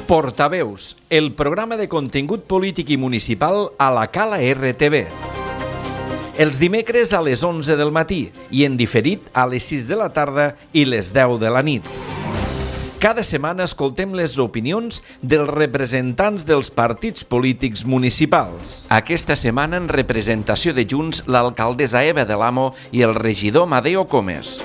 Portaveus, el programa de contingut polític i municipal a la Cala RTV. Els dimecres a les 11 del matí i en diferit a les 6 de la tarda i les 10 de la nit. Cada setmana escoltem les opinions dels representants dels partits polítics municipals. Aquesta setmana en representació de Junts l'alcaldessa Eva de l'Amo i el regidor Amadeo Comes.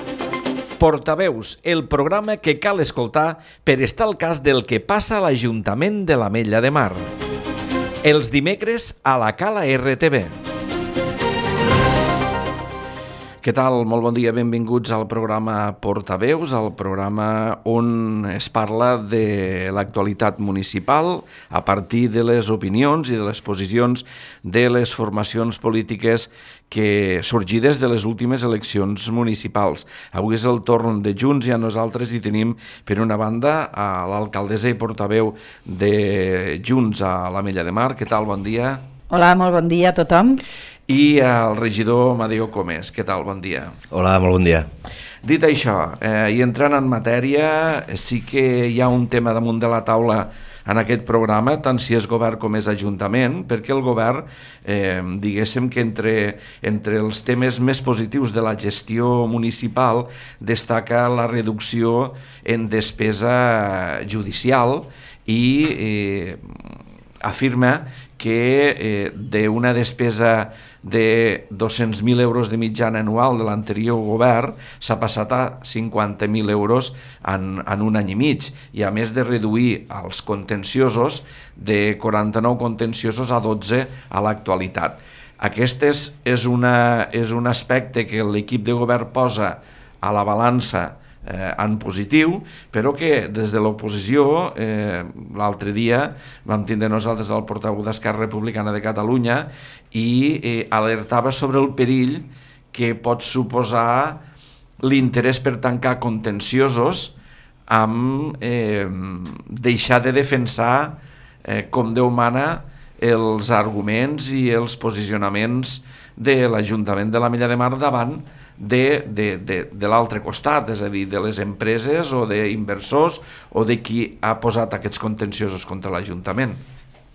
Portaveus, el programa que cal escoltar per estar al cas del que passa a l'Ajuntament de l'Ametlla de Mar. Els dimecres a la Cala RTV. Què tal? Molt bon dia, benvinguts al programa Portaveus, el programa on es parla de l'actualitat municipal a partir de les opinions i de les posicions de les formacions polítiques que sorgides de les últimes eleccions municipals. Avui és el torn de Junts i a nosaltres hi tenim, per una banda, a l'alcaldessa i portaveu de Junts a l'Ametlla de Mar. Què tal? Bon dia. Hola, molt bon dia a tothom. I el regidor Amadeo Comes. Què tal? Bon dia. Hola, molt bon dia. Dit això, i entrant en matèria, sí que hi ha un tema damunt de la taula en aquest programa, tant si és govern com és ajuntament, perquè el govern, diguéssim que entre els temes més positius de la gestió municipal destaca la reducció en despesa judicial i afirma que d'una despesa de 200.000 euros de mitjana anual de l'anterior govern s'ha passat a 50.000 euros en un any i mig, i a més de reduir els contenciosos de 49 contenciosos a 12 a l'actualitat. Aquest és un aspecte que l'equip de govern posa a la balança en positiu, però que des de l'oposició l'altre dia vam tindre nosaltres el portaveu d'Esquerra Republicana de Catalunya i alertava sobre el perill que pot suposar l'interès per tancar contenciosos amb deixar de defensar com Déu mana els arguments i els posicionaments de l'Ajuntament de l'Ametlla de Mar davant de l'altre costat, és a dir, de les empreses o d'inversors o de qui ha posat aquests contenciosos contra l'Ajuntament.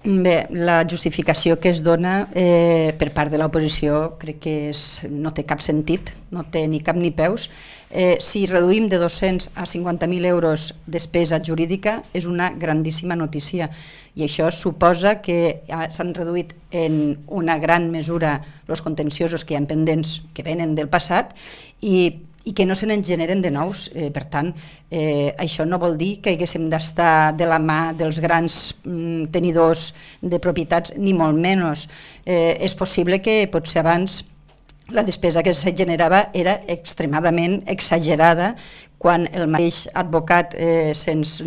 Bé, la justificació que es dona per part de l'oposició crec que no té cap sentit, no té ni cap ni peus. Si reduïm de 200 a 50.000 euros despesa jurídica és una grandíssima notícia, i això suposa que s'han reduït en una gran mesura els contenciosos que hi ha pendents que venen del passat i que no se n'en generen de nous. Per tant, això no vol dir que haguéssim d'estar de la mà dels grans tenidors de propietats, ni molt menys. És possible que potser abans la despesa que se generava era extremadament exagerada quan el mateix advocat se'ns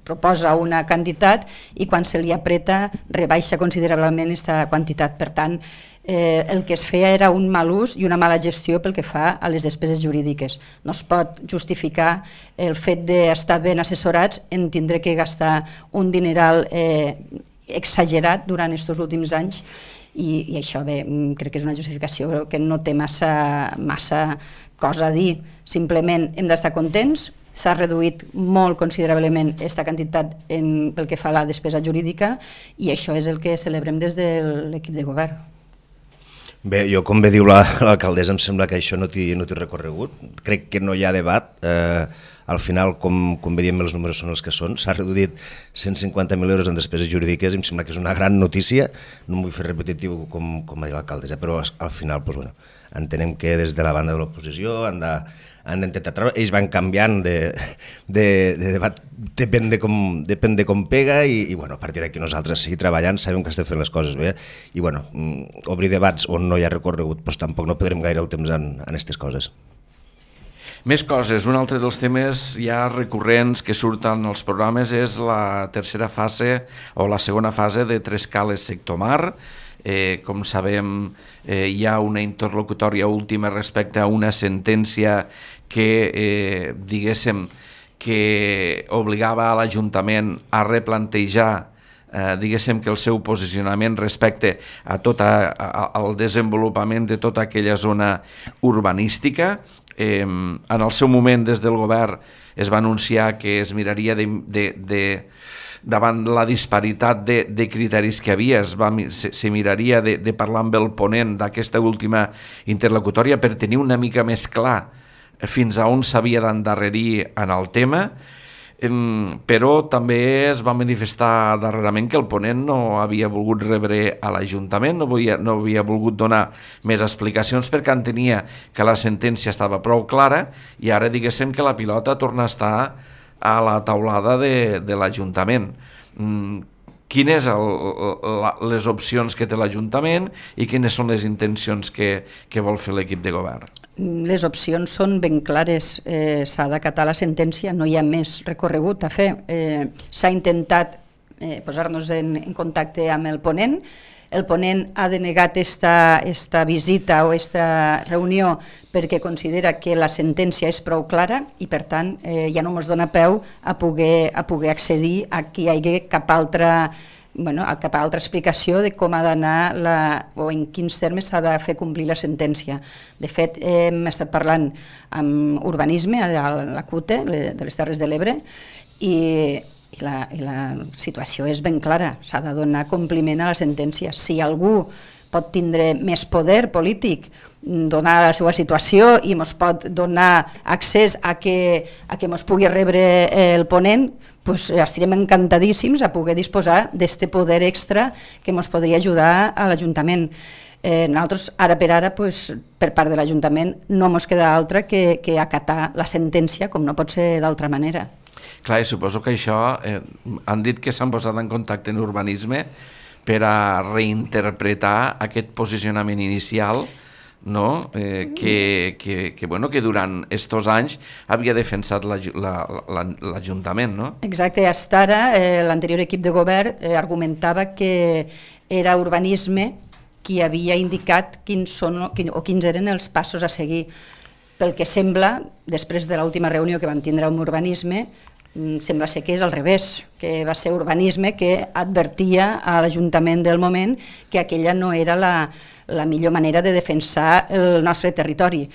proposa una quantitat i quan se li apreta rebaixa considerablement aquesta quantitat. Per tant, el que es feia era un mal ús i una mala gestió pel que fa a les despeses jurídiques. No es pot justificar el fet d'estar ben assessorats en tindre que gastar un dineral exagerat durant aquests últims anys, i això bé, crec que és una justificació que no té massa cosa a dir. Simplement hem d'estar contents. S'ha reduït molt considerablement aquesta quantitat pel que fa a la despesa jurídica, i això és el que celebrem des de l'equip de govern. Bé, jo, com bé diu l'alcaldessa, em sembla que això no té recorregut. Crec que no hi ha debat. Al final, com bé diem, els números són els que són. S'ha reduït 150.000 euros en despeses jurídiques i em sembla que és una gran notícia. No em vull fer repetitiu com ha dit l'alcaldessa, però al final entenem que des de la banda de l'oposició han d'intentar treure. Ells van canviant de debat, depèn de com pega, i a partir d'aquí nosaltres seguir treballant, sabem que estem fent les coses bé, i obrir debats on no hi ha recorregut, doncs tampoc no perdrem gaire el temps en aquestes coses. Més coses. Un altre dels temes ja recurrents que surten als programes és la tercera fase o la segona fase de Trescales Sector Mar. Com sabem, hi ha una interlocutòria última respecte a una sentència que, diguéssim, que obligava a l'Ajuntament a replantejar diguéssim que el seu posicionament respecte a al desenvolupament de tota aquella zona urbanística. En el seu moment, des del govern, es va anunciar que es miraria davant la disparitat de criteris que havia, se miraria de parlar amb el ponent d'aquesta última interlocutòria per tenir una mica més clar fins a on s'havia d'endarrerir en el tema, però també es va manifestar darrerament que el ponent no havia volgut rebre a l'Ajuntament, no havia volgut donar més explicacions perquè entenia que la sentència estava prou clara i ara diguéssim que la pilota torna a estar a la taulada de l'Ajuntament. Quines les opcions que té l'Ajuntament i quines són les intencions que vol fer l'equip de govern? Les opcions són ben clares, s'ha d'acatar la sentència, no hi ha més recorregut a fer. S'ha intentat posar-nos en contacte amb el ponent ha denegat esta visita o esta reunió perquè considera que la sentència és prou clara i per tant ja no ens dona peu a poder accedir a que hi hagi cap altra explicació de com ha d'anar o en quins termes s'ha de fer complir la sentència. De fet, hem estat parlant amb urbanisme a la CUTE de les Terres de l'Ebre i la situació és ben clara, s'ha de donar compliment a la sentència. Si algú pot tindre més poder polític, donar la seva situació i ens pot donar accés a que ens pugui rebre el ponent, doncs estarem encantadíssims a poder disposar d'aquest poder extra que ens podria ajudar a l'Ajuntament. Nosaltres, ara per ara, per part de l'Ajuntament, no ens queda altra que acatar la sentència, com no pot ser d'altra manera. Clar, i suposo que això, han dit que s'han posat en contacte en urbanisme per a reinterpretar aquest posicionament inicial, no? que durant estos anys havia defensat l'Ajuntament. No? Exacte, fins ara l'anterior equip de govern argumentava que era urbanisme qui havia indicat quins eren els passos a seguir. Pel que sembla, després de l'última reunió que vam tindre amb urbanisme, sembla ser que és al revés, que va ser urbanisme que advertia a l'Ajuntament del moment que aquella no era la millor manera de defensar el nostre territori.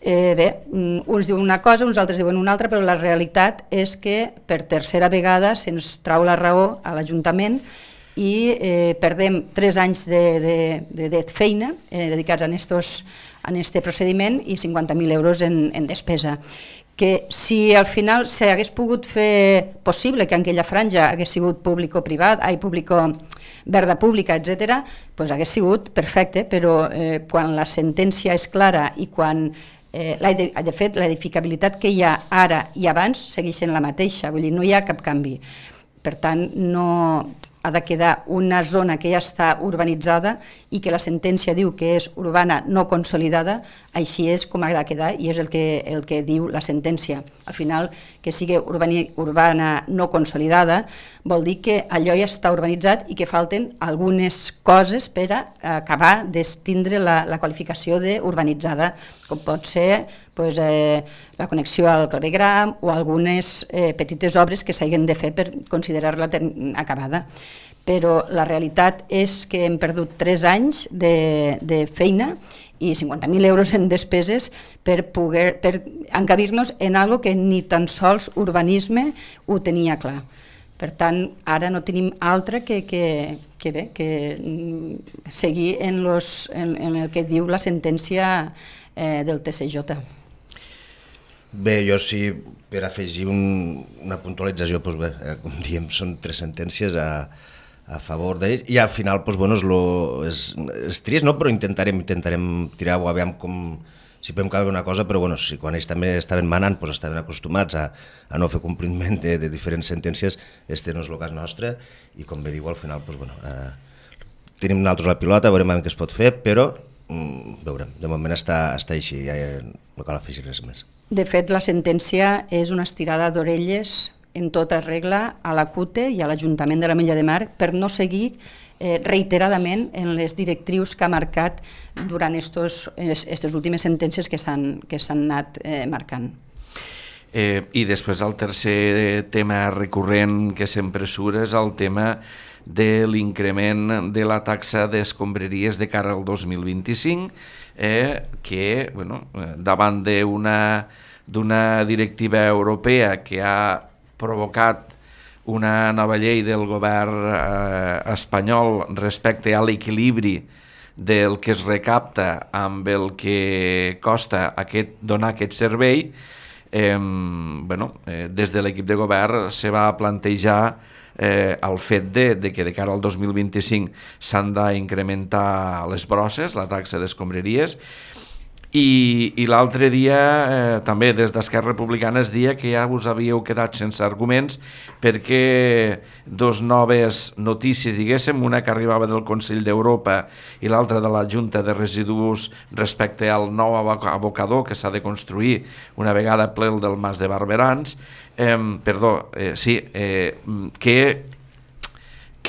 Uns diuen una cosa, uns altres diuen una altra, però la realitat és que per tercera vegada se'ns trau la raó a l'Ajuntament i perdem 3 anys de feina dedicats a aquest procediment i 50.000 euros en despesa. Que si al final s'hagués pogut fer possible que aquella franja hagués sigut público-privat, verda pública, etc., doncs hagués sigut perfecte, però quan la sentència és clara i quan, de fet, l'edificabilitat que hi ha ara i abans segueix sent la mateixa, vull dir, no hi ha cap canvi. Per tant, no ha de quedar una zona que ja està urbanitzada i que la sentència diu que és urbana no consolidada, així és com ha de quedar i és el que diu la sentència. Al final, que sigui urbana no consolidada vol dir que allò ja està urbanitzat i que falten algunes coses per a acabar d'estindre la qualificació d'urbanitzada, com pot ser la connexió al clavegram o algunes petites obres que s'hagin de fer per considerar-la acabada. Però la realitat és que hem perdut 3 anys de feina i 50.000 euros en despeses per encabir-nos en algo que ni tan sols urbanisme ho tenia clar. Per tant, ara no tenim altre que seguir en el que diu la sentència del TCJ. Bé, jo sí, per afegir una puntualització, com diem, són 3 sentències a favor d'ells i al final és trist, no? Però intentarem tirar o aviam si podem canviar una cosa, però si quan ells també estaven manant estaven acostumats a no fer compliment de diferents sentències, este no és el cas nostre i com bé diu al final tenim nosaltres la pilota, veurem què es pot fer, però veurem, de moment està així, ja no cal afegir res més. De fet, la sentència és una estirada d'orelles en tota regla a la CUTE i a l'Ajuntament de l'Ametlla de Mar per no seguir reiteradament en les directrius que ha marcat durant aquestes últimes sentències que s'han anat marcant. I després el tercer tema recurrent que sempre surt és el tema de l'increment de la taxa d'escombraries de cara al 2025, que davant d'una directiva europea que ha provocat una nova llei del govern espanyol respecte a l'equilibri del que es recapta amb el que costa donar aquest servei. Des de l'equip de govern se va plantejar el fet de que de cara al 2025 s'han d'incrementar les brosses, la taxa d'escombraries, i l'altre dia també des d'Esquerra Republicana es dia que ja us havíeu quedat sense arguments perquè dos noves notícies, diguéssim, una que arribava del Consell d'Europa i l'altra de la Junta de Residus respecte al nou abocador que s'ha de construir una vegada ple el del Mas de Barberans,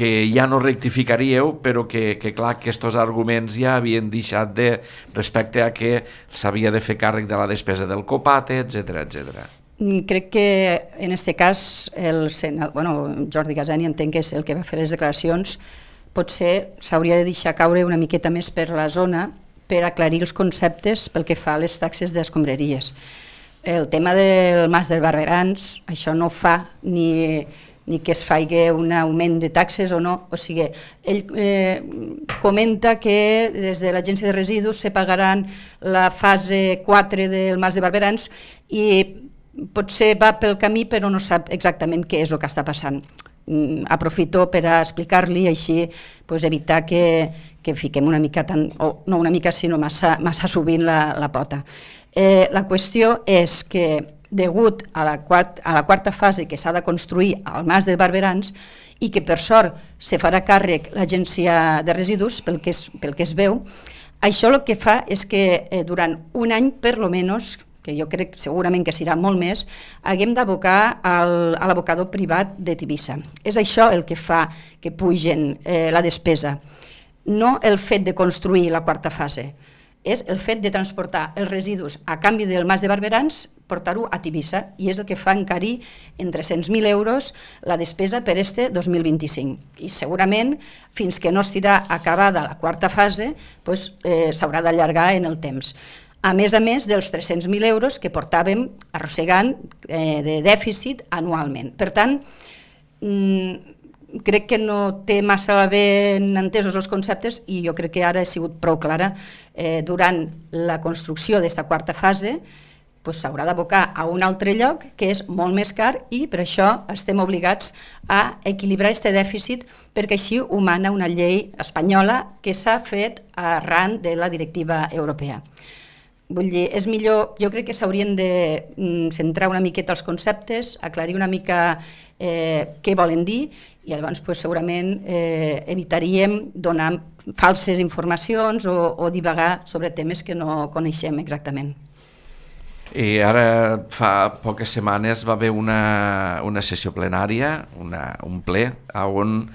que ja no rectificaríeu, però que clar, que aquests arguments ja havien deixat respecte a que s'havia de fer càrrec de la despesa del Copate, etc. Crec que en aquest cas Jordi Gaseni entenc que és el que va fer les declaracions, potser s'hauria de deixar caure una miqueta més per la zona per aclarir els conceptes pel que fa a les taxes d'escombraries. El tema del Mas dels Barberans, això no fa ni que es faci un augment de taxes o no, o sigui, ell comenta que des de l'Agència de Residus se pagaran la fase 4 del Mas de Barberans i potser va pel camí però no sap exactament què és el que està passant. Aprofito per a explicar-li així evitar que fiquem una mica, no una mica sinó massa sovint la pota. La qüestió és que degut a la quarta fase que s'ha de construir al Mas de Barberans i que per sort se farà càrrec l'Agència de Residus pel que es veu, això el que fa és que durant un any per lo menys, que jo crec segurament que serà molt més, haguem d'abocar a l'abocador privat de Tivissa. És això el que fa que pugen la despesa, no el fet de construir la quarta fase, és el fet de transportar els residus a canvi del Mas de Barberans, portar-ho a Tivissa, i és el que fa encarir en 300.000 euros la despesa per este 2025. I segurament, fins que no estirà acabada la quarta fase, s'haurà d'allargar en el temps. A més dels 300.000 euros que portàvem arrossegant de dèficit anualment. Per tant, crec que no té massa ben entesos els conceptes i jo crec que ara he sigut prou clara. Durant la construcció d'aquesta quarta fase s'haurà d'abocar a un altre lloc que és molt més car i per això estem obligats a equilibrar aquest dèficit perquè així ho mana una llei espanyola que s'ha fet arran de la directiva europea. Vull dir, és millor, jo crec que s'haurien de centrar una miqueta els conceptes, aclarir una mica què volen dir i llavors segurament evitaríem donar falses informacions o divagar sobre temes que no coneixem exactament. I ara fa poques setmanes va haver una sessió plenària, un ple, on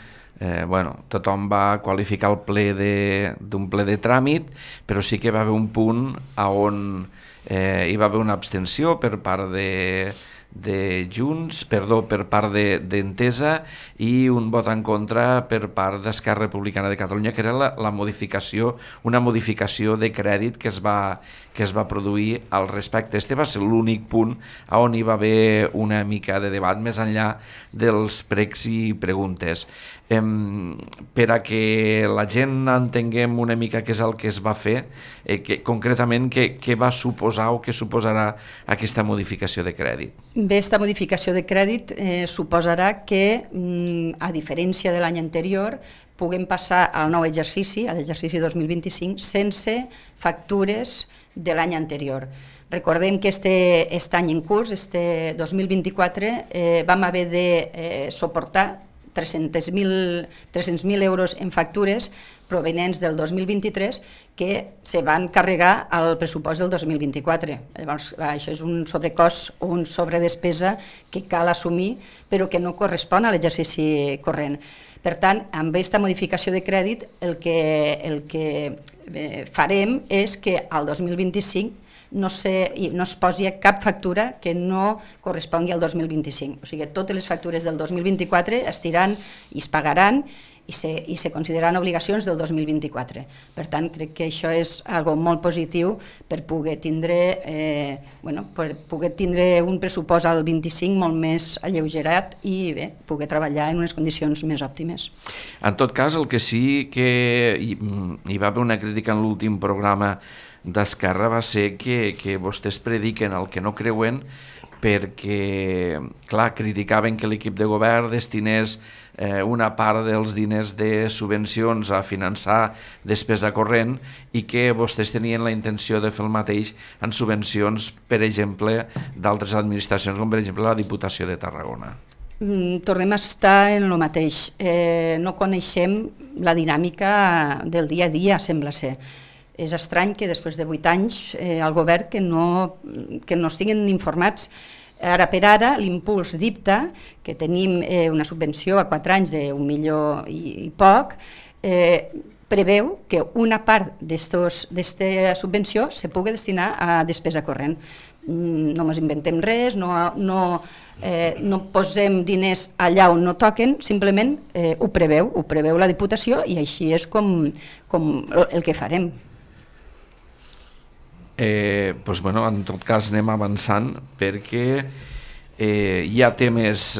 tothom va qualificar el ple d'un ple de tràmit, però sí que va haver un punt on hi va haver una abstenció per part per part d'Entesa i un vot en contra per part d'Esquerra Republicana de Catalunya, que era una modificació de crèdit que es va produir al respecte. Este va ser l'únic punt on hi va haver una mica de debat més enllà dels pregs i preguntes. Per a que la gent entenguem una mica què és el que es va fer, concretament què va suposar o què suposarà aquesta modificació de crèdit. Bé, aquesta modificació de crèdit suposarà que, a diferència de l'any anterior, puguem passar al nou exercici, a l'exercici 2025, sense factures de l'any anterior. Recordem que aquest any en curs, este 2024, vam haver de suportar 300.000 euros en factures provenents del 2023 que se van carregar al pressupost del 2024. Llavors, això és un sobrecost o una sobredespesa que cal assumir, però que no correspon a l'exercici corrent. Per tant, amb aquesta modificació de crèdit, el que farem és que al 2025 no es posi cap factura que no correspongui al 2025. O sigui, totes les factures del 2024 es tiraran i es pagaran i se consideraran obligacions del 2024. Per tant, crec que això és algo molt positiu per poder tindre un pressupost al 25 molt més alleugerat i bé, poder treballar en unes condicions més òptimes. En tot cas, el que sí que hi va haver una crítica en l'últim programa d'Esquerra va ser que vostès prediquen el que no creuen, perquè, clar, criticaven que l'equip de govern destinés una part dels diners de subvencions a finançar despesa corrent i que vostès tenien la intenció de fer el mateix en subvencions, per exemple, d'altres administracions, com per exemple la Diputació de Tarragona. Tornem a estar en el mateix. No coneixem la dinàmica del dia a dia, sembla ser. És estrany que després de 8 anys el govern que no estiguin informats. Ara per ara, l'impuls d'IPTA, que tenim una subvenció a 4 anys d'1 milió i poc, preveu que una part d'aquesta subvenció se pugui destinar a despesa corrent. No ens inventem res, no posem diners allà on no toquen, simplement ho preveu la Diputació i així és com el que farem. En tot cas anem avançant perquè hi ha temes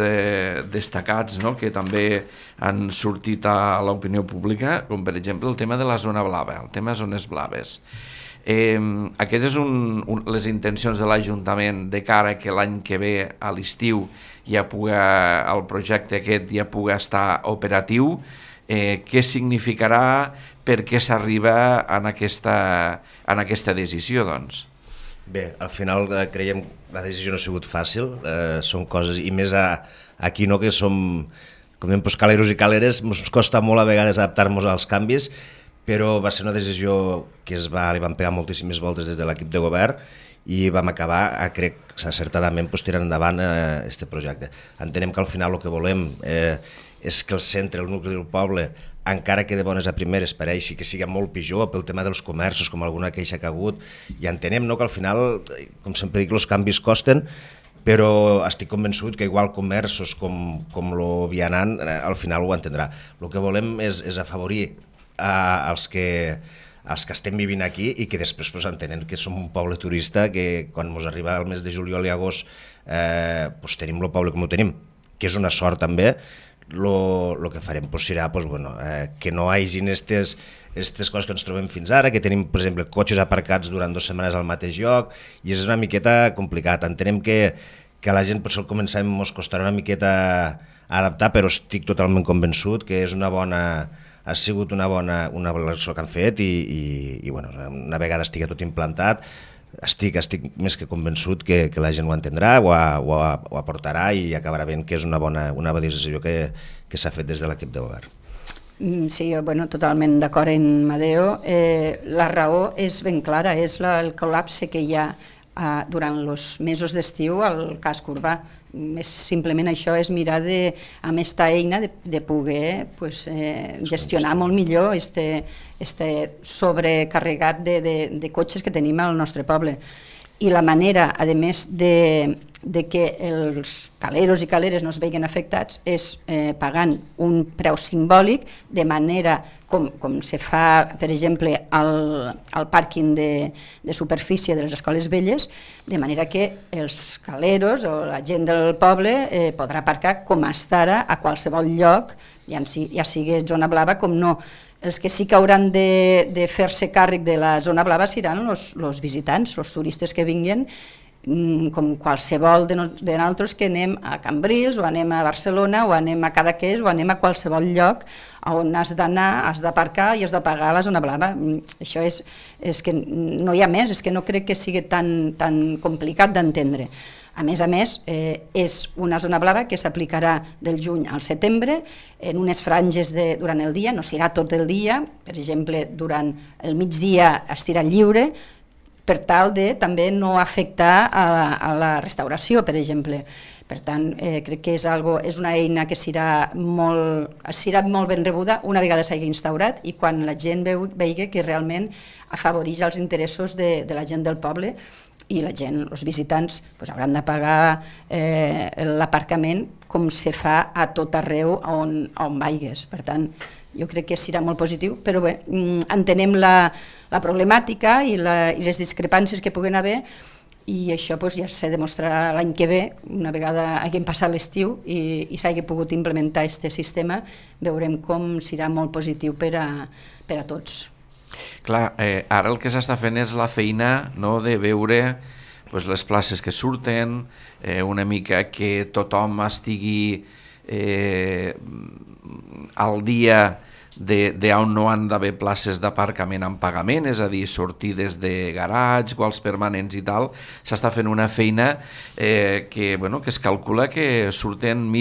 destacats que també han sortit a l'opinió pública, com per exemple el tema de la zona blava, el tema de zones blaves. Aquestes són les intencions de l'Ajuntament de cara que l'any que ve a l'estiu el projecte aquest ja pugui estar operatiu. Què significarà, per què s'arriba en aquesta decisió, doncs? Bé, al final creiem que la decisió no ha sigut fàcil, són coses, i més aquí que som, com diem, caleros i caleres, ens costa molt a vegades adaptar-nos als canvis, però va ser una decisió que li van pegar moltíssimes voltes des de l'equip de govern i vam acabar, crec, acertadament tirant endavant aquest projecte. Entenem que al final el que volem és que el centre, el nucli del poble, encara que de bones a primeres pareixi que sigui molt pitjor pel tema dels comerços, com alguna queixa que ha hagut, i entenem que al final, com sempre dic, els canvis costen, però estic convençut que igual comerços com el vianant al final ho entendrà. El que volem és afavorir els que estem vivint aquí i que després entenem que som un poble turista, que quan ens arriba el mes de juliol i agost tenim el poble com ho tenim, que és una sort també. El que farem serà que no hi hagin aquestes coses que ens trobem fins ara, que tenim, per exemple, cotxes aparcats durant 2 setmanes al mateix lloc, i és una miqueta complicat. Entenem que a la gent per això començarem, ens costarà una miqueta adaptar, però estic totalment convençut que ha sigut una bona elecció que han fet i una vegada estigui tot implantat, estic més que convençut que la gent ho entendrà, ho aportarà i acabarà veient que és una bona decisió que s'ha fet des de l'equip de govern. Sí, totalment d'acord amb Madeo. La raó és ben clara, és el col·lapse que hi ha durant els mesos d'estiu al casc urbà. Simplement això és mirar amb aquesta eina de poder gestionar molt millor este sobrecarregat de cotxes que tenim al nostre poble. I la manera, a més de que els caleros i caleres no es vegin afectats és pagant un preu simbòlic, de manera com se fa, per exemple, al pàrquing de superfície de les escoles velles, de manera que els caleros o la gent del poble podrà aparcar com està ara a qualsevol lloc, ja sigui zona blava com no. Els que sí que hauran de fer-se càrrec de la zona blava seran els visitants, els turistes que vinguin, com qualsevol de nosaltres que anem a Cambrils o anem a Barcelona o anem a Cadaqués o anem a qualsevol lloc on has d'anar, has d'aparcar i has de pagar la zona blava. Això és que no hi ha més, és que no crec que sigui tan complicat d'entendre. A més, és una zona blava que s'aplicarà del juny al setembre en unes franges durant el dia, no serà tot el dia, per exemple, durant el migdia estirà lliure, per tal de també no afectar a la restauració, per exemple. Per tant, crec que és una eina que serà molt ben rebuda una vegada s'hagi instaurat i quan la gent vegi que realment afavoreix els interessos de la gent del poble i la gent, els visitants, hauran de pagar l'aparcament com se fa a tot arreu on vagis. Per tant, jo crec que serà molt positiu, però bé, entenem la problemàtica i les discrepàncies que puguen haver i això ja se demostrarà l'any que ve, una vegada haguem passat l'estiu i s'hagi pogut implementar aquest sistema, veurem com serà molt positiu per a tots. Clar, ara el que s'està fent és la feina de veure les places que surten, una mica que tothom estigui al dia d'on no han d'haver places d'aparcament en pagament, és a dir, sortides de garatge, quals permanents i tal. S'està fent una feina que es calcula que surten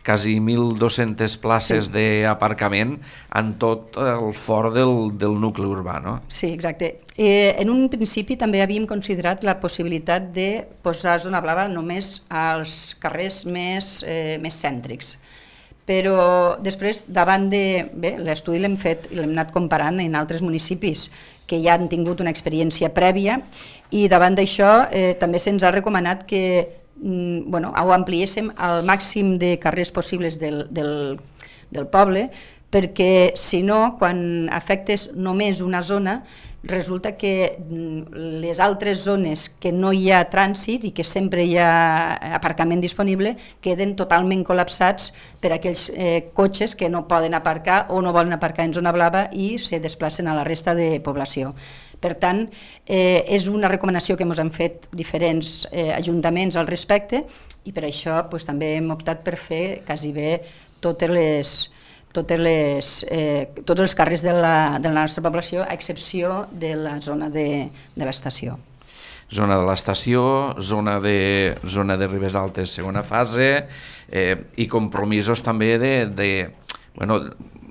quasi 1.200 places d'aparcament en tot el fort del nucli urbà, no? Sí, exacte. En un principi també havíem considerat la possibilitat de posar zona blava només als carrers més cèntrics. Però després, davant l'estudi l'hem fet i l'hem anat comparant en altres municipis que ja han tingut una experiència prèvia i davant d'això també se'ns ha recomanat que ho ampliéssim al màxim de carrers possibles del poble, perquè si no, quan afectes només una zona, resulta que les altres zones que no hi ha trànsit i que sempre hi ha aparcament disponible queden totalment col·lapsats per aquells cotxes que no poden aparcar o no volen aparcar en zona blava i se desplacen a la resta de població. Per tant, és una recomanació que ens han fet diferents ajuntaments al respecte i per això també hem optat per fer quasi bé tots els carrers de la nostra població, a excepció de la zona de l'estació. Zona de l'estació, zona de Ribes Altes, segona fase, i compromisos també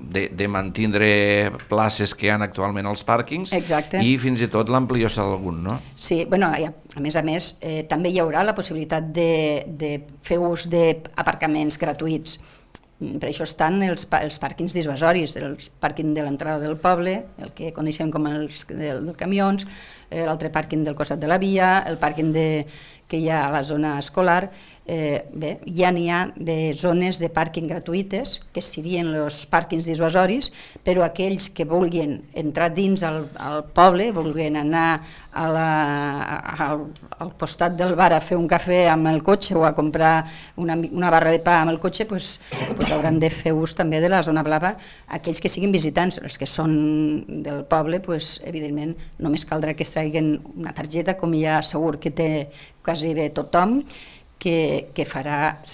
de mantindre places que hi ha actualment als pàrquings. Exacte. I fins i tot l'ampliació d'algun, no? Sí, a més, també hi haurà la possibilitat de fer ús d'aparcaments gratuïts. Per això estan els pàrquings dissuasoris, el pàrquing de l'entrada del poble, el que coneixem com els dels camions, l'altre pàrquing del costat de la via, el pàrquing que hi ha a la zona escolar. Ja n'hi ha de zones de pàrquing gratuïtes, que serien els pàrquings dissuasoris, però aquells que vulguin entrar dins al poble, vulguin anar al costat del bar a fer un cafè amb el cotxe o a comprar una barra de pa amb el cotxe, hauran de fer ús també de la zona blava. Aquells que siguin visitants, els que són del poble, evidentment només caldrà que es traguin una targeta, com ja segur que té quasi bé tothom, que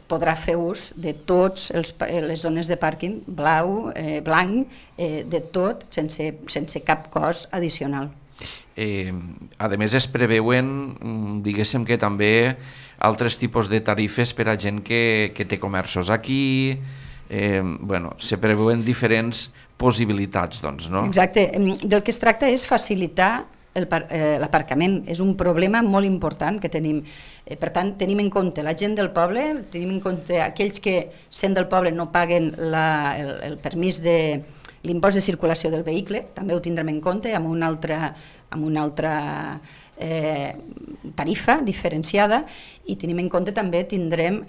podrà fer ús de totes les zones de pàrquing blanc, de tot, sense cap cost addicional. A més, es preveuen, diguéssim que també altres tipus de tarifes per a gent que té comerços aquí, se preveuen diferents possibilitats, doncs, no? Exacte, del que es tracta és facilitar l'aparcament. És un problema molt important que tenim. Per tant, tenim en compte la gent del poble, tenim en compte aquells que, sent del poble, no paguen el permís de l'impost de circulació del vehicle, també ho tindrem en compte amb una altra tarifa diferenciada, i tindrem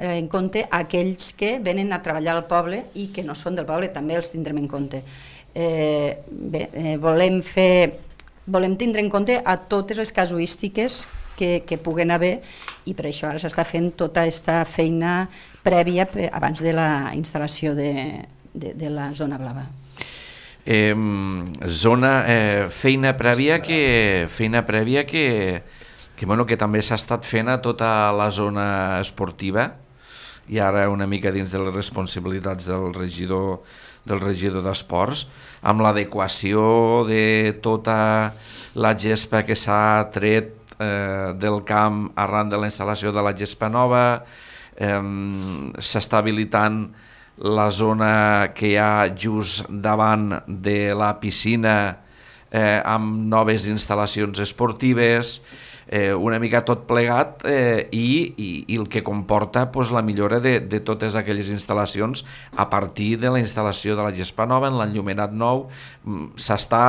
en compte aquells que venen a treballar al poble i que no són del poble, també els tindrem en compte. Volem tindre en compte a totes les casuístiques que puguen haver, i per això ara s'està fent tota aquesta feina prèvia abans de la instal·lació de la zona blava. Feina prèvia que també s'ha estat fent a tota la zona esportiva, i ara una mica dins de les responsabilitats del regidor d'Esports, amb l'adequació de tota la gespa que s'ha tret del camp arran de la instal·lació de la gespa nova. S'està habilitant la zona que hi ha just davant de la piscina amb noves instal·lacions esportives, una mica tot plegat, i el que comporta pues, la millora de totes aquelles instal·lacions a partir de la instal·lació de la gespa nova, en l'enllumenat nou. S'està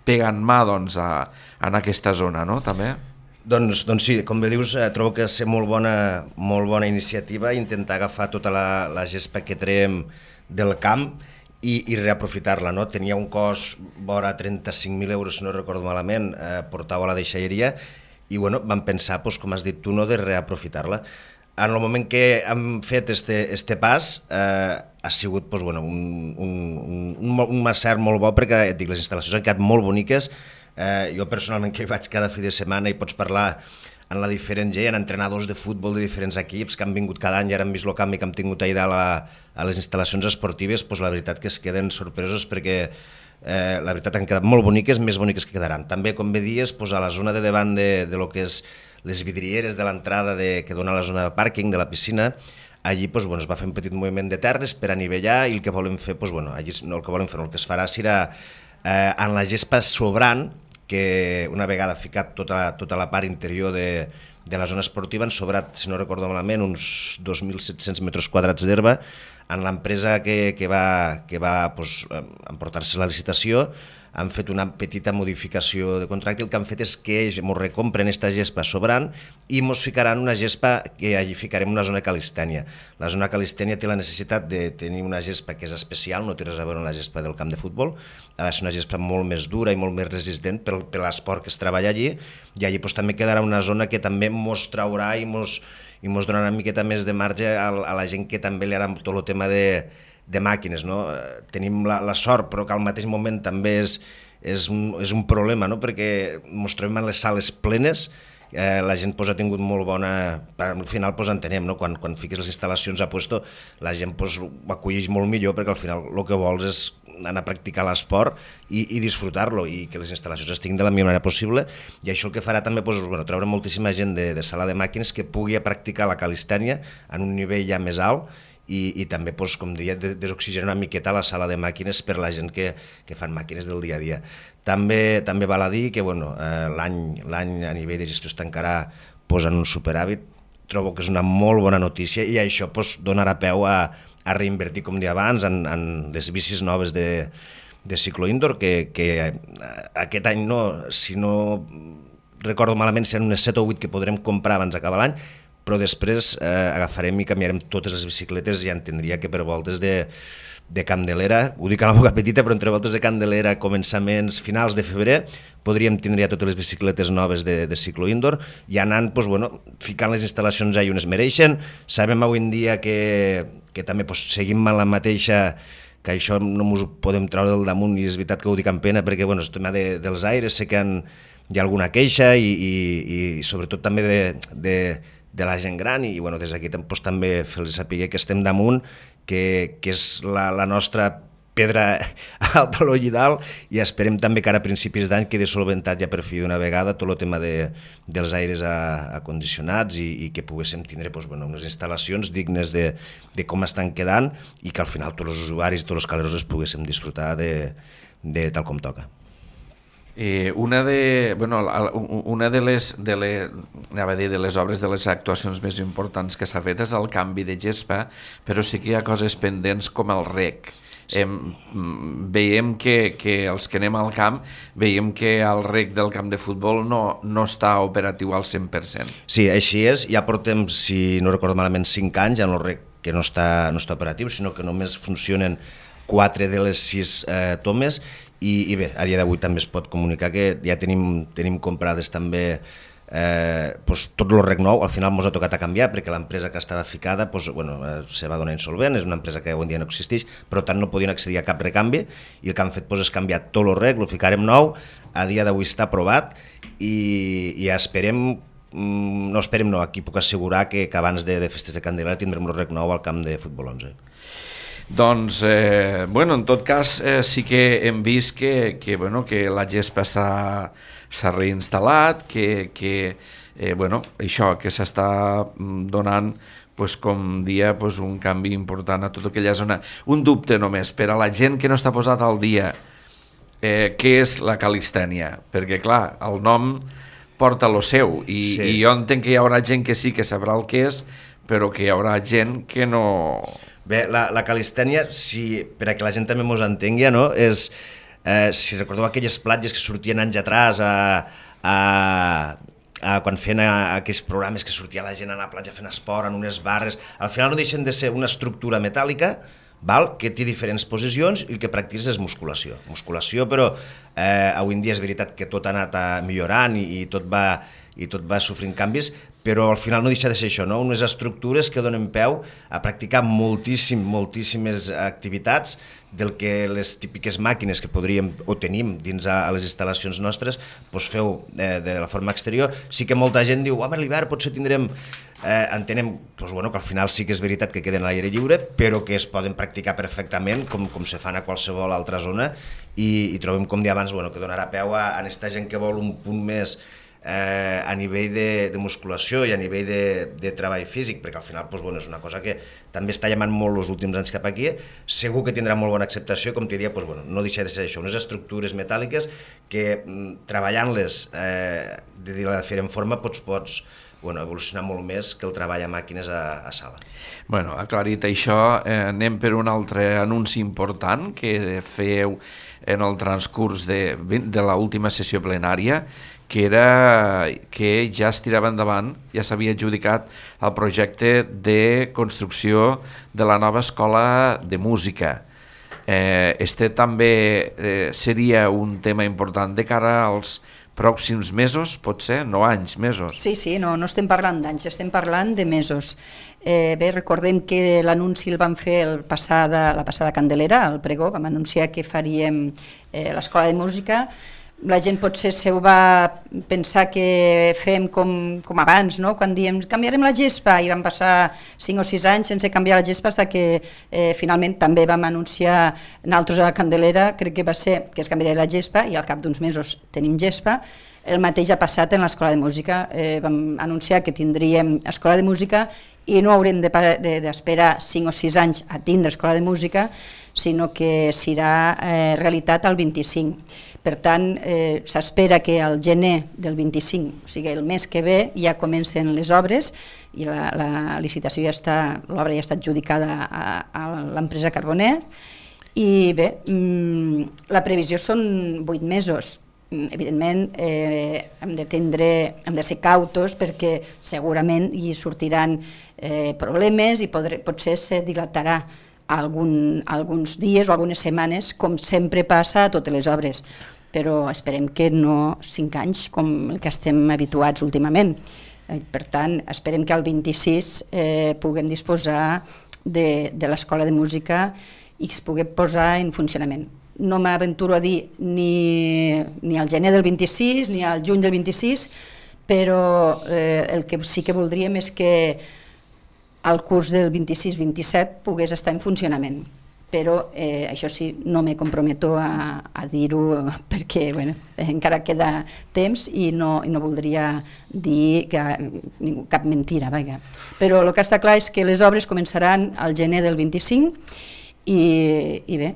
pegant mà doncs, en aquesta zona, no? També? Doncs sí, com bé dius, trobo que és molt bona iniciativa intentar agafar tota la gespa que traiem del camp i reaprofitar-la, no? Tenia un cost vora 35.000 euros, si no recordo malament, portar-ho a la deixalleria, i bueno, vam pensar, com has dit tu, no, de reaprofitar-la. En el moment que hem fet este pas, ha sigut un macert molt bo, perquè et dic, les instal·lacions han quedat molt boniques. Jo personalment que hi vaig cada fi de setmana i pots parlar amb la diferent gent, entrenadors de futbol de diferents equips que han vingut cada any i ara han vist el canvi que hem tingut a les instal·lacions esportives, la veritat que es queden sorpresos perquè la veritat han quedat molt boniques, més boniques que quedaran. També, com bé dies, a la zona de davant de lo que és les vidrieres de l'entrada que dona a la zona de pàrquing de la piscina, allí es va fer un petit moviment de terres per anivellar i el que volem fer, allí no el que volem fer, el que es farà serà en la gespa sobrant, que una vegada ficat tota la part interior de la zona esportiva han sobrat, si no recordo malament, uns 2.700 metres quadrats d'herba. En l'empresa que va emportar-se la licitació han fet una petita modificació de contracte. El que han fet és que ells ens recompren aquesta gespa sobrant i ens ficaran una gespa que allí ficarem una zona calistènia. La zona calistènia té la necessitat de tenir una gespa que és especial, no té res a veure amb la gespa del camp de futbol, ha de ser una gespa molt més dura i molt més resistent per l'esport que es treballa allí, i allí també quedarà una zona que també ens traurà i ens donarà una miqueta més de marge a la gent que també li agrada tot el tema de màquines, no? Tenim la sort, però que al mateix moment també és un problema, no? Perquè ens trobem en les sales plenes, la gent ha tingut molt bona... Al final entenem, no? Quan fiques les instal·lacions a puesto, la gent ho acolleix molt millor, perquè al final el que vols és anar a practicar l'esport i disfrutar-lo, i que les instal·lacions estiguin de la millor manera possible, i això el que farà també treure moltíssima gent de sala de màquines que pugui practicar la calistènia en un nivell ja més alt, i també, com deia, desoxigenar una miqueta la sala de màquines per la gent que fan màquines del dia a dia. També val a dir que l'any a nivell de gestió es tancarà en un superàvit. Trobo que és una molt bona notícia i això donarà peu a reinvertir, com deia abans, en les bicis noves de ciclo indoor, que aquest any, si no recordo malament, seran unes 7 o 8 que podrem comprar abans d'acabar l'any, però després agafarem i canviarem totes les bicicletes i entendria que per voltes de Candelera, ho dic a la boca petita, però entre voltes de Candelera, començaments, finals de febrer, podríem tindre totes les bicicletes noves de ciclo indoor i anant, ficant les instal·lacions allà on es mereixen. Sabem avui en dia que també seguim amb la mateixa, que això no ens ho podem treure del damunt, i és veritat que ho dic amb pena perquè el tema dels aires sé que hi ha alguna queixa i sobretot també de la gent gran, i des d'aquí també fer-los saber que estem damunt, que és la nostra pedra alta a l'Ollidal, i esperem també que ara a principis d'any quedi solventat ja per fi d'una vegada tot el tema dels aires acondicionats i que poguéssim tindre unes instal·lacions dignes de com estan quedant i que al final tots els usuaris i tots els caleros es poguéssim disfrutar de tal com toca. Una de les obres, de les actuacions més importants que s'ha fet és el canvi de gespa, però sí que hi ha coses pendents com el rec. Sí. Veiem que els que anem al camp veiem que el rec del camp de futbol no està operatiu al 100%. Sí, així és. Ja portem, si no recordo malament, 5 anys en el rec que no està operatiu, sinó que només funcionen 4 de les 6 tomes. I bé, a dia d'avui també es pot comunicar que ja tenim comprades també tot el rec nou. Al final ens ha tocat a canviar perquè l'empresa que estava ficada se va donar insolvent, és una empresa que avui en dia no existeix, però tant no podien accedir a cap recanvi, i el que han fet és canviar tot el rec, el ficarem nou, a dia d'avui està aprovat i esperem, aquí puc assegurar que abans de festes de Candelera tindrem el rec nou al camp de futbol 11. Doncs, en tot cas, sí que hem vist que la gespa s'ha reinstal·lat, que s'està donant, com dia, un canvi important a tota aquella zona. Un dubte només, per a la gent que no està posat al dia, què és la calistènia, perquè clar, el nom porta lo seu i jo entenc que hi haurà gent que sí que sabrà el que és, però que hi haurà gent que no... Bé, la calistènia, per a que la gent també mos entengui, no? És, si recordeu aquelles platges que sortien anys atràs quan feien aquells programes que sortia la gent a la platja fent esport en unes barres, al final no deixen de ser una estructura metàl·lica que té diferents posicions i el que practiques és musculació, però avui en dia és veritat que tot ha anat millorant i tot va sofrint canvis, però al final no deixa de ser això, no? Unes estructures que donen peu a practicar moltíssimes activitats del que les típiques màquines que podríem o tenim dins a les instal·lacions nostres feu de la forma exterior. Sí que molta gent diu, home, a l'hivern potser tindrem... entenem que al final sí que és veritat que queden a l'aire lliure, però que es poden practicar perfectament com se fan a qualsevol altra zona i trobem, com deia abans, que donarà peu a aquesta gent que vol un punt més a nivell de musculació i a nivell de treball físic, perquè al final és una cosa que també està llamant molt els últims anys cap aquí, segur que tindrà molt bona acceptació, com t'hi dia, no deixa de ser això, unes estructures metàl·liques que treballant-les de la diferent forma pots evolucionar molt més que el treball a màquines a sala. Bueno, aclarit això, anem per un altre anunci important que feu en el transcurs de l'última sessió plenària, que era que ja es tirava endavant, ja s'havia adjudicat el projecte de construcció de la nova escola de música. Este també seria un tema important de cara als pròxims mesos, pot ser? No anys, mesos. Sí, no estem parlant d'anys, estem parlant de mesos. Bé, recordem que l'anunci el vam fer la passada Candelera, al pregó, vam anunciar que faríem l'escola de música. La gent potser se ho va pensar que fem com abans, no? Quan diem canviarem la gespa, i van passar 5 o 6 anys sense canviar la gespa fins que finalment també vam anunciar nosaltres a la Candelera, crec que va ser que es canviaria la gespa i al cap d'uns mesos tenim gespa. El mateix ha passat en l'escola de música, vam anunciar que tindríem escola de música i no haurem d'esperar 5 o 6 anys a tindre escola de música, sinó que serà realitat el 25. Per tant, s'espera que al gener del 25, o sigui el mes que ve, ja comencen les obres i la licitació l'obra ja està adjudicada a l'empresa Carboner i bé, la previsió són 8 mesos. Evidentment hem de ser cautos perquè segurament hi sortiran problemes i potser se dilatarà alguns dies o algunes setmanes, com sempre passa a totes les obres, però esperem que no 5 anys com el que estem habituats últimament. Per tant, esperem que al 26 puguem disposar de l'escola de música i es pugui posar en funcionament. No m'aventuro a dir ni al gener del 26 ni al juny del 26, però el que sí que voldríem és que el curs del 26-27 pogués estar en funcionament. Però això sí, no me comprometo a dir-ho perquè encara queda temps i no voldria dir cap mentira. Però el que està clar és que les obres començaran al gener del 25 i bé,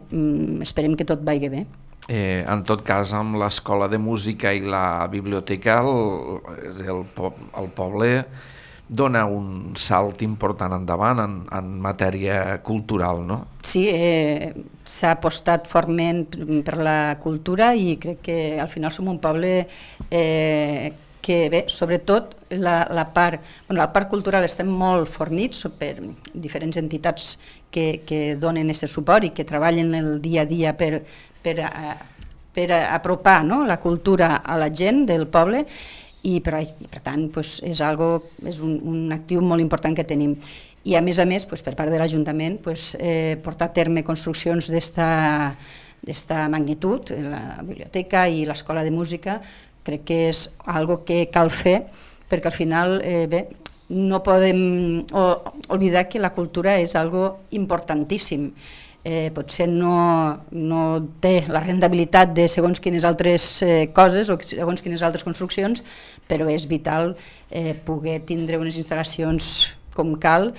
esperem que tot vagi bé. En tot cas, amb l'escola de música i la biblioteca, el poble dona un salt important endavant en matèria cultural, no? Sí, s'ha apostat fortament per la cultura i crec que al final som un poble que bé, sobretot la part cultural estem molt fornits per diferents entitats que donen aquest suport i que treballen el dia a dia per apropar la cultura a la gent del poble i per tant és un actiu molt important que tenim. I a més, per part de l'Ajuntament, portar a terme construccions d'esta magnitud, la biblioteca i l'escola de música, crec que és algo que cal fer perquè al final no podem oblidar que la cultura és algo importantíssim. Potser no té la rendibilitat de segons quines altres coses o segons quines altres construccions, però és vital poder tindre unes instal·lacions com cal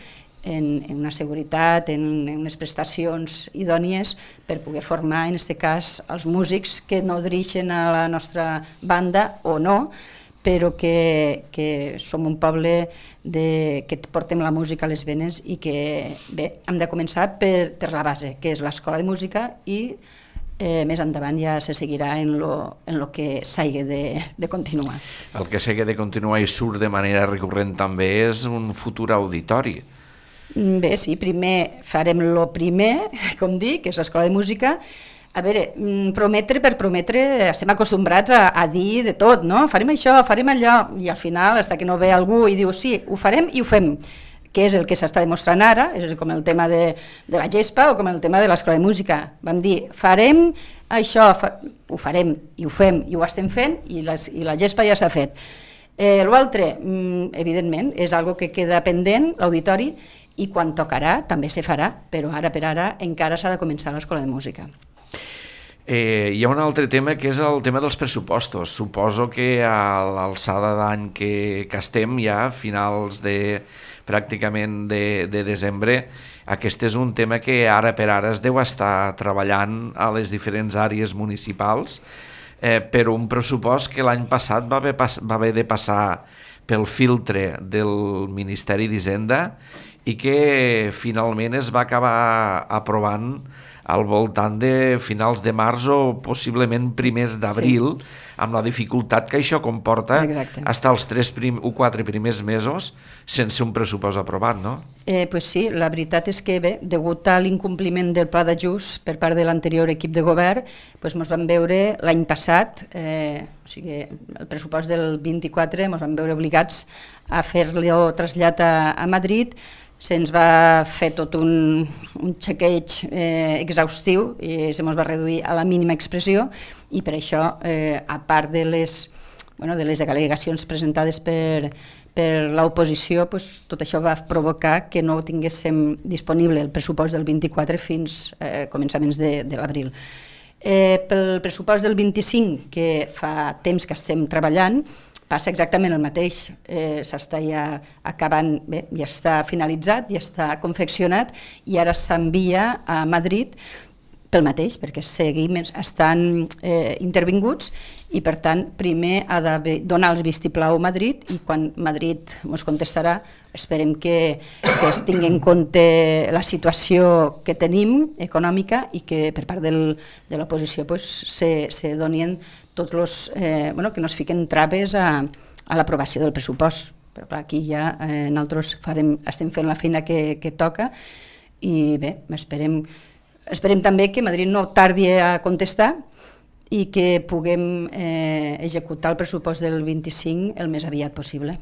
en una seguretat, en unes prestacions idònies per poder formar, en aquest cas, els músics que no dirigeixen a la nostra banda o no, però que som un poble que portem la música a les venes i que, bé, hem de començar per la base, que és l'escola de música, i més endavant ja se seguirà en lo que s'hagi de continuar. El que s'hagi de continuar i surt de manera recurrent també és un futur auditori. Bé, sí, primer farem lo primer, com dic, que és l'escola de música. A veure, prometre per prometre, estem acostumbrats a dir de tot, no? Farem això, farem allò, i al final, fins que no ve algú i diu sí, ho farem i ho fem, que és el que s'està demostrant ara, és com el tema de la gespa o com el tema de l'escola de música. Vam dir, farem això, ho farem i ho fem i ho estem fent i la gespa ja s'ha fet. L'altre, evidentment, és algo que queda pendent, l'auditori, i quan tocarà també se farà, però ara per ara encara s'ha de començar l'escola de música. Hi ha un altre tema que és el tema dels pressupostos. Suposo que a l'alçada d'any que estem ja, finals pràcticament de desembre, aquest és un tema que ara per ara es deu estar treballant a les diferents àrees municipals, però un pressupost que l'any passat va haver de passar pel filtre del Ministeri d'Hisenda i que finalment es va acabar aprovant al voltant de finals de març o possiblement primers d'abril, sí, amb la dificultat que això comporta. Exacte. Estar els 3 o 4 primers mesos sense un pressupost aprovat, no? Pues sí, la veritat és que bé, degut a l'incompliment del pla d'ajust per part de l'anterior equip de govern, ens vam veure l'any passat, o sigui, el pressupost del 24, ens vam veure obligats a fer-lo trasllat a Madrid. Se'ns va fer tot un xequeig exhaustiu i se ens va reduir a la mínima expressió, i per això, a part de les al·legacions presentades per l'oposició, tot això va provocar que no tinguéssim disponible el pressupost del 24 fins a començaments de l'abril. Pel pressupost del 25, que fa temps que estem treballant, passa exactament el mateix, s'està ja acabant, bé, ja està finalitzat, ja està confeccionat i ara s'envia a Madrid pel mateix, perquè seguim estan intervinguts i per tant primer ha de donar el vistiplau a Madrid i quan Madrid ens contestarà esperem que es tingui en compte la situació que tenim econòmica i que per part de l'oposició se donin tots els, que no es fiquen traves a l'aprovació del pressupost. Però clar, aquí ja nosaltres estem fent la feina que toca i bé, esperem també que Madrid no tardi a contestar i que puguem executar el pressupost del 25 el més aviat possible.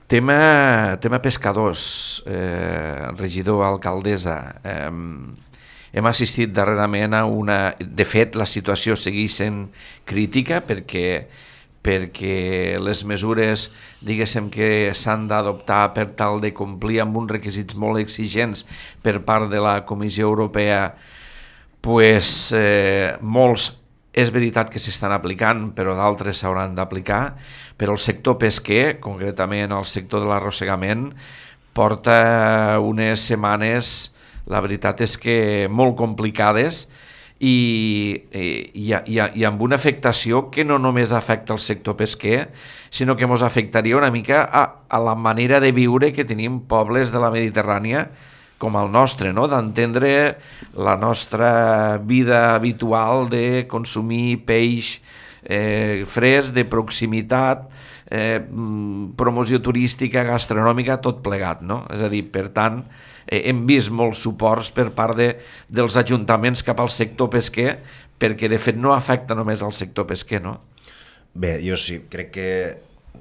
Tema pescadors, regidor, alcaldessa, hem assistit darrerament a una... De fet, la situació segueix sent crítica perquè les mesures, diguéssim, que s'han d'adoptar per tal de complir amb uns requisits molt exigents per part de la Comissió Europea, molts és veritat que s'estan aplicant, però d'altres s'hauran d'aplicar, però el sector pesquer, concretament el sector de l'arrossegament, porta unes setmanes, la veritat és que molt complicades i amb una afectació que no només afecta el sector pesquer, sinó que ens afectaria una mica a la manera de viure que tenim pobles de la Mediterrània com el nostre, no? D'entendre la nostra vida habitual de consumir peix fresc, de proximitat, promoció turística, gastronòmica, tot plegat, no? És a dir, per tant, hem vist molts suports per part dels ajuntaments cap al sector pesquer, perquè de fet no afecta només al sector pesquer, no? Bé, jo sí, crec que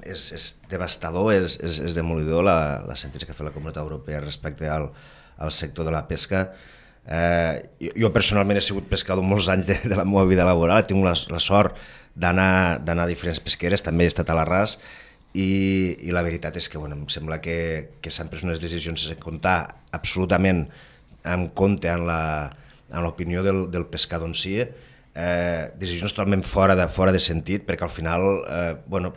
és devastador, és demolidor la sentència que ha fet la Comunitat Europea respecte al sector de la pesca. Jo personalment he sigut pescador molts anys de la meva vida laboral, he tingut la sort d'anar a diferents pesqueres, també he estat a l'Arràs, i la veritat és que em sembla que s'han pres unes decisions sense comptar absolutament en compte en l'opinió del pescador en si, decisions totalment fora de sentit, perquè al final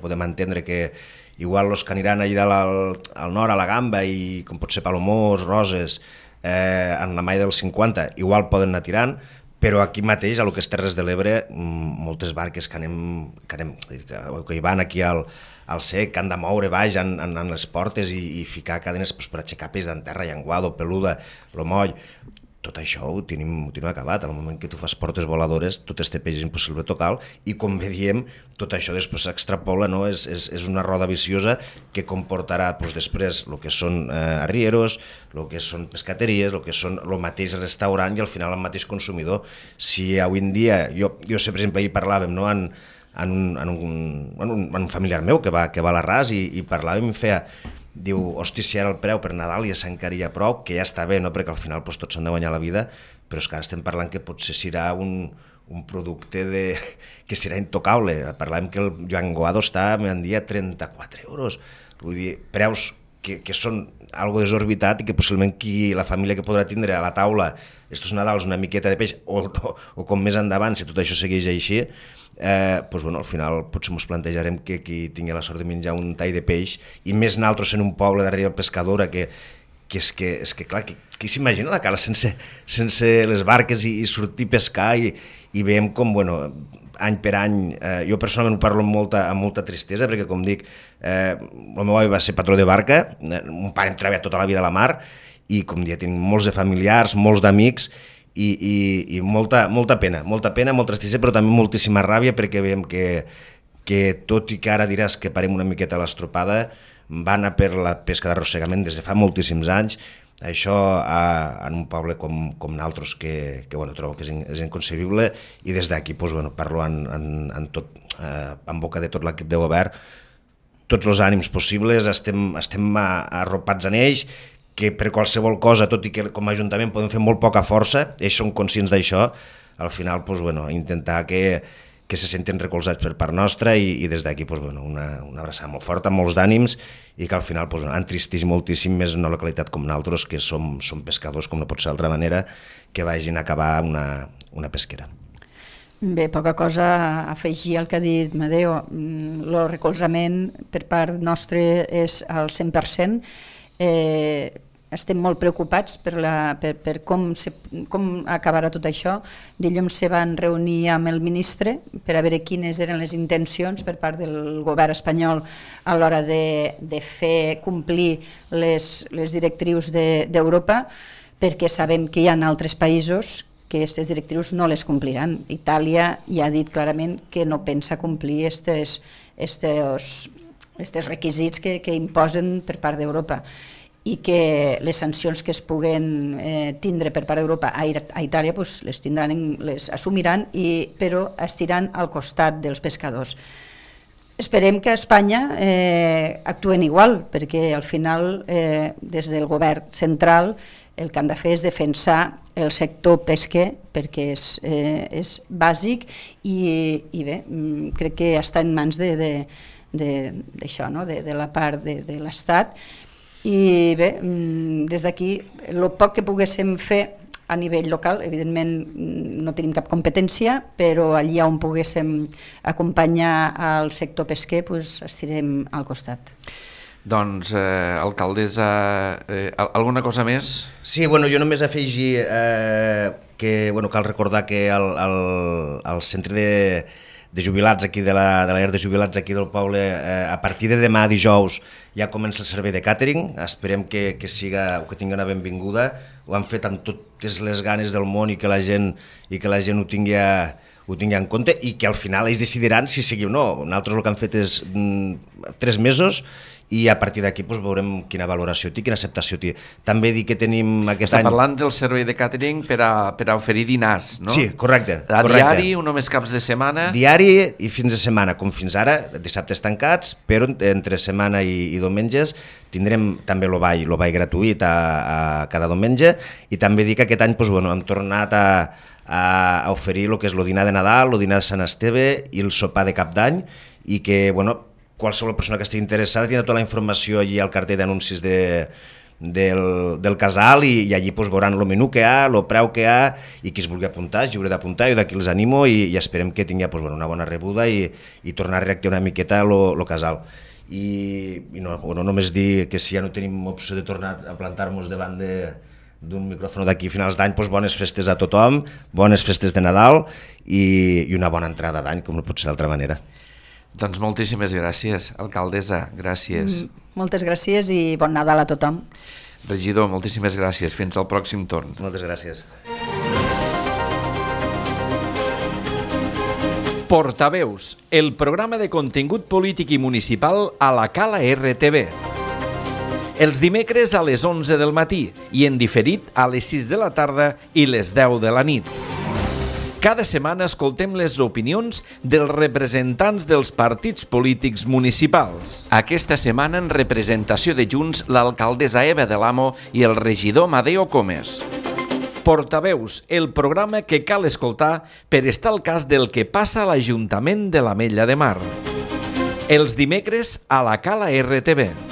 podem entendre que igual els que aniran allà al nord, a la Gamba, i com pot ser Palomós, Roses, en la malla dels 50, igual poden anar tirant, però aquí mateix, a lo que és Terres de l'Ebre, moltes barques que hi van aquí al sec, que han de moure baix en les portes i ficar cadenes per aixecar peix d'en terra, llenguado, peluda, lo moll. Tot això ho tenim acabat. Al moment que tu fas portes voladores, tot este peix és impossible tocar, i com bé diem, tot això després s'extrapola, no? És una roda viciosa que comportarà després el que són arrieros, el que són pescateries, el que són el mateix restaurant i al final el mateix consumidor. Si avui en dia, jo sé, per exemple, ahir parlàvem, no?, en un familiar meu que va a l'Arràs i parlàvem i feia, diu, hosti, si ara el preu per Nadal ja s'encaria prou, que ja està bé, no?, perquè al final tots s'han de guanyar la vida, però és que ara estem parlant que potser serà un producte que serà intocable. Parlàvem que el llenguado està, m'han dit, a 34 euros. Vull dir, preus que són algo desorbitat i que possiblement la família que podrà tindre a la taula estos Nadals una miqueta de peix o com més endavant, si tot això segueix així, al final potser ens plantejarem que qui tingui la sort de menjar un tall de peix, i més naltros en un poble darrere pescadora, que és que clar, qui s'imagina la cala sense les barques i sortir a pescar i veiem com, any per any, jo personalment ho parlo amb molta tristesa, perquè com dic, el meu avi va ser patró de barca, mon pare hem treballat tota la vida a la mar, i com dia tenim molts de familiars, molts d'amics, i molta pena, molta tristesa, però també moltíssima ràbia, perquè veiem que tot i que ara diràs que parem una miqueta a l'estropada, va anar per la pesca d'arrossegament des de fa moltíssims anys. Això en un poble com naltros que trobo que és inconcebible, i des d'aquí parlo en boca de tot l'equip de govern, tots els ànims possibles, estem arropats en ells, que per qualsevol cosa, tot i que com a Ajuntament podem fer molt poca força, ells són conscients d'això, al final intentar que se senten recolzats per part nostra, i des d'aquí una abraçada molt forta, molts d'ànims, i que al final entristeix moltíssim més una localitat com nosaltres, que som pescadors, com no pot ser d'altra manera, que vagin a acabar una pesquera. Bé, poca cosa a afegir al que ha dit Madeo. El recolzament per part nostra és al 100%. Estem molt preocupats per com acabarà tot això. Dilluns se van reunir amb el ministre per a veure quines eren les intencions per part del govern espanyol a l'hora de fer complir les directrius d'Europa, perquè sabem que hi ha altres països que aquestes directrius no les compliran. Itàlia ja ha dit clarament que no pensa complir aquests requisits que imposen per part d'Europa, i que les sancions que es puguen tindre per part d'Europa a Itàlia les assumiran, però estiran al costat dels pescadors. Esperem que a Espanya actuen igual, perquè al final des del govern central el que han de fer és defensar el sector pesquer, perquè és bàsic, i bé, crec que està en mans d'això, de la part de l'Estat. I bé, des d'aquí, el poc que poguéssim fer a nivell local, evidentment no tenim cap competència, però allà on poguéssim acompanyar al sector pesquer, estirem al costat. Doncs, alcaldessa, alguna cosa més? Sí, jo només afegir que cal recordar que al centre de jubilats aquí, de la llar de jubilats aquí del poble, a partir de demà dijous ja comença el servei de càtering. Esperem que tingui una benvinguda. Ho han fet amb totes les ganes del món, i que la gent ho tingui en compte, i que al final ells decidiran si sigui o no. Nosaltres el que hem fet és 3 mesos, i a partir d'aquí veurem quina valoració té, quina acceptació té. També dir que tenim aquest any... Està parlant del servei de càtering per a oferir dinars, no? Sí, correcte. Diari o només caps de setmana? Diari i fins de setmana, com fins ara, dissabtes tancats, però entre setmana i diumenges tindrem també el ball gratuït a cada diumenge, i també dir que aquest any hem tornat a oferir el que és el dinar de Nadal, el dinar de Sant Esteve i el sopar de Cap d'Any, i que, qualsevol persona que estigui interessada tindrà tota la informació allí al cartell d'anuncis del casal, i allí veuran el menú que hi ha, el preu que hi ha, i qui es vulgui apuntar és lliure d'apuntar. Jo d'aquí els animo, i esperem que tingui una bona rebuda i tornar a reactivar una miqueta el casal. i no només dir que si ja no tenim opció de tornar a plantar-nos davant d'un micròfon d'aquí a finals d'any, doncs bones festes a tothom, bones festes de Nadal i una bona entrada d'any, com no pot ser d'altra manera. Doncs moltíssimes gràcies, alcaldessa, gràcies. Moltes gràcies i bon Nadal a tothom. Regidor, moltíssimes gràcies, fins al pròxim torn. Moltes gràcies. Portaveus, el programa de contingut polític i municipal a la Cala RTV. Els dimecres a les 11 del matí i en diferit a les 6 de la tarda i les 10 de la nit. Cada setmana escoltem les opinions dels representants dels partits polítics municipals. Aquesta setmana en representació de Junts l'alcaldessa Eva de l'Amo i el regidor Madeo Comes. Portaveus, el programa que cal escoltar per estar al cas del que passa a l'Ajuntament de l'Ametlla de Mar. Els dimecres a la Cala RTV.